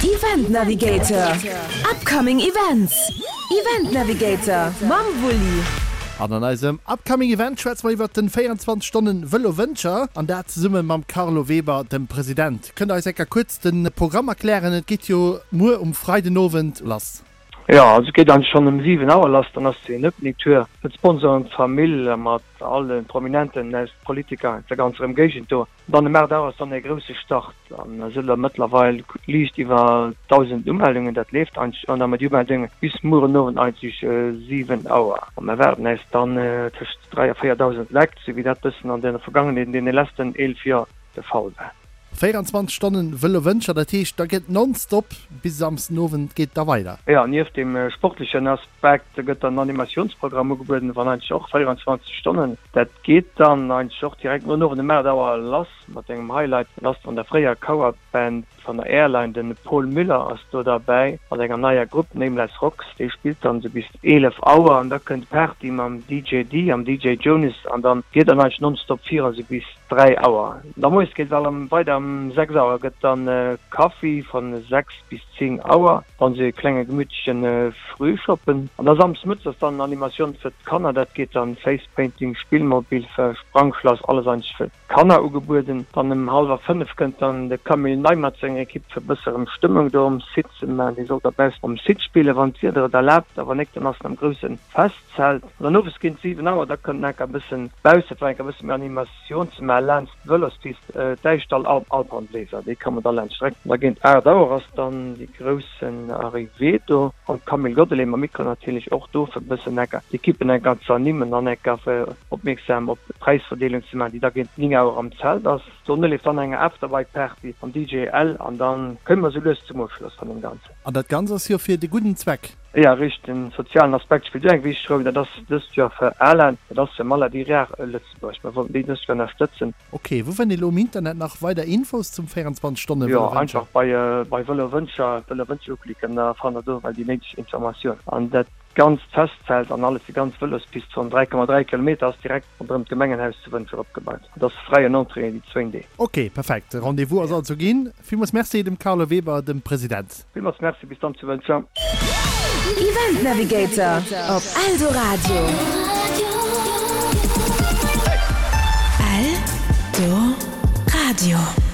Event Navigator, Upcoming Events, Event Navigator mam Wulli. An an eisem Upcoming Event schwätze mer iwwert den 24 Stonnen Vëlo Wëncher an dat zesumme mam Carlo Weber, dem President. Kënnt der eis enker kuerz de Programm erklären? Et geet jo muer um Freidenowend lass. Jo, also et geet eigentlech schonn ëm 7 Auer lass, dann ass den Opening Tour fir d'Sponsoren, d'Famill mat alle Prominenten aus Politiker aus der ganzer Ëmgéigend do. Dann ëm 8 Auer ass dann e grousse Start an da sinn der mëttlerweil liicht iwwer 1.000 Umeldungen. Dat leeft eigentlech an da mat déi Umeldunge bis muer den Owend eigentlech 7 Auer. A mer erwaarden äis dann tëscht 3 a 4.000 Lekt, sou wéi dat bëssen an der Vergangenheet, an deene letzten 11 Joer de Fall war. 24 Stonnen Vëlo Wëncher, dat heescht da gëtt nonstop bis Samsden Owend geet da weider? Jo, nieft dem sportlechen Aspekt gëtt dann en Animatiounsprogramm ugebueden, wann eigentlech och 24 Stonnen. Dat geet dann eigentlech och direkt no den Owend um 8 Auer lass mat engem Highlight. Dat ass vun der fréier Coverband vun der Airline, den Paul Müller ass do derbäi mat enger neier Grupp, Nameless Rocks. Déi spillt dann esou bis 11 Auer an da kënnt d'Party mam DJ Dee am DJ Jonas an dann geet dann eigentlech nonstop virun esou bis 3 Auer. Da moies geet et allem weider, Ëm 6 Auer gëtt dann Kaffi von 6 bis 10 Auer, dann sou e klenge gemütlechen Frühschoppen an da Samsdes mëttes ass dann Animatioun fir d'Kanner, dat geet dann Face Painting, Spillmobil, Sprangschlass, alles eigentlech fir d'Kanner ugebueden. Dann ëm hallwer 5 kënnt dann de Camille Ney mat senger Ekipp fir bësse rëm Stëmmung do um Site ze man. Dee soll da baussen um Site spillen, wann d'Wieder et erlaabt a wann nik, dann ass en am groussen Fest. Zelt. An dann owes géint 7 Auer, da kënnt enker e bëssen bausse fir enker e bësse méi Animatioun ze maachen laanscht d'Vëlospist Däischdall Alphornbléiser, déi kommen da laanscht d'Streck. An da géint 8 Auer ass dann déi groussen Arrivée do an d'Camille Godelet mam Mikro natierlech och do fir e bëssen enker d'Ekippen enker ze ernimmen an enker fir opmierksam op d'Präisverdeelung ze maachen, déi da géint 9 Auer am Zelt ass. Dono leeft dann eng Afterbike Party mam DJ L an dann kënne mer sou lues zum Ofschloss van dem Ganzen. An dat Ganzt ass jo fir de gudden Zweck. Jo, richteg. Den sozialen Aspekt spillt och eng wichteg Roll. Dat ass dëst Joer fir ALAN, dat ass fir Maladie Rare Lëtzebuerg. Mer wollten déi dëst Joer ënnerstëtzen. Ok, wou fënnt ee lo um Internet nach weider Infos zum 24 Stonne Jo, Vëlo Wëncher? einfach bei bei Vëlo Wëncher, Vëlo Wëncher uklicken, da fannt der do well déi néideg Informatiounen. An dat ganzt Festzelt an alles, déi ganz Vëlospist von 3,3 Kilometer ass direkt ronderëm d'Gemengenhaus zu Wëncher opgebaut. Et ass fräien Entrée déi zwéin Deeg. Ok, perfekt. De Rendez-vous ass also ginn. Villmools Merci dem Carlo Weber, dem President. Villmools Merci, bis dann zu Wëncher. Event Navigator op Eldoradio. Eldoradio.